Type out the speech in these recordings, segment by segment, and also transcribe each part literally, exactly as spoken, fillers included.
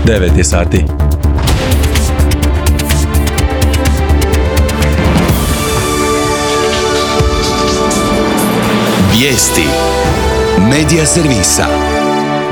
devet je sati. Vijesti Medija servisa.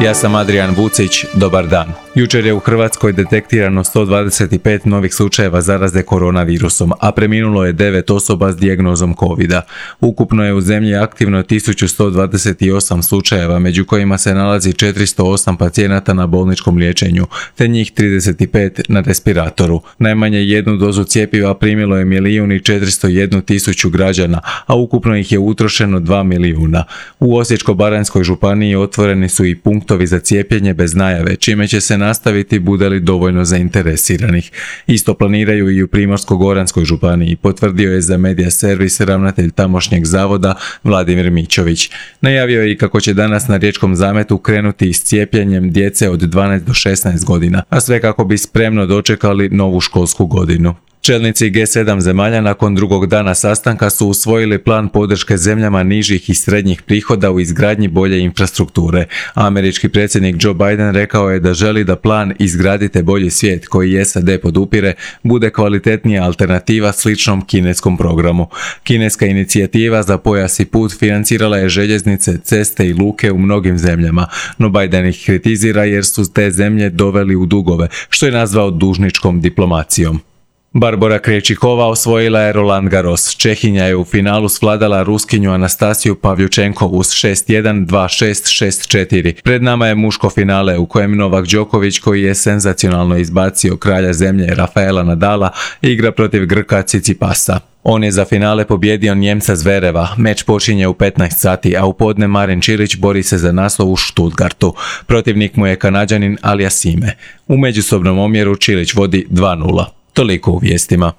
Ja sam Adrijan Vucić, dobar dan. Jučer je u Hrvatskoj detektirano sto dvadeset pet novih slučajeva zaraze koronavirusom, a preminulo je devet osoba s dijagnozom covida. Ukupno je u zemlji aktivno tisuću sto dvadeset osam slučajeva, među kojima se nalazi četiristo osam pacijenata na bolničkom liječenju, te njih trideset pet na respiratoru. Najmanje jednu dozu cjepiva primilo je milijun i četiristo jednu tisuću građana, a ukupno ih je utrošeno dva milijuna. U Osječko-baranjskoj županiji otvoreni su i punktovi za cijepljenje bez najave, čime će se nastaviti bude li dovoljno zainteresiranih. Isto planiraju i u Primorsko-goranskoj županiji, potvrdio je za Medija servis ravnatelj tamošnjeg zavoda Vladimir Mićović. Najavio je i kako će danas na Riječkom zametu krenuti s cijepljenjem djece od dvanaest do šesnaest godina, a sve kako bi spremno dočekali novu školsku godinu. Čelnici G sedam zemalja nakon drugog dana sastanka su usvojili plan podrške zemljama nižih i srednjih prihoda u izgradnji bolje infrastrukture. Američki predsjednik Joe Biden rekao je da želi da plan Izgradite bolji svijet, koji S A D podupire, bude kvalitetnija alternativa sličnom kineskom programu. Kineska inicijativa za pojas i put financirala je željeznice, ceste i luke u mnogim zemljama, no Biden ih kritizira jer su te zemlje doveli u dugove, što je nazvao dužničkom diplomacijom. Barbora Krejčikova osvojila je Roland Garros. Čehinja je u finalu svladala Ruskinju Anastasiju Pavljučenkovu s šest jedan, dva šest, šest četiri. Pred nama je muško finale u kojem Novak Đoković, koji je senzacionalno izbacio kralja zemlje Rafaela Nadala, igra protiv Grka Cicipasa. On je za finale pobjedio Njemca Zvereva. Meč počinje u petnaest sati, a u podne Marin Čilić bori se za naslov u Stuttgartu. Protivnik mu je Kanađanin Aliassime. U međusobnom omjeru Čilić vodi dva nula. Toliko u vijestima.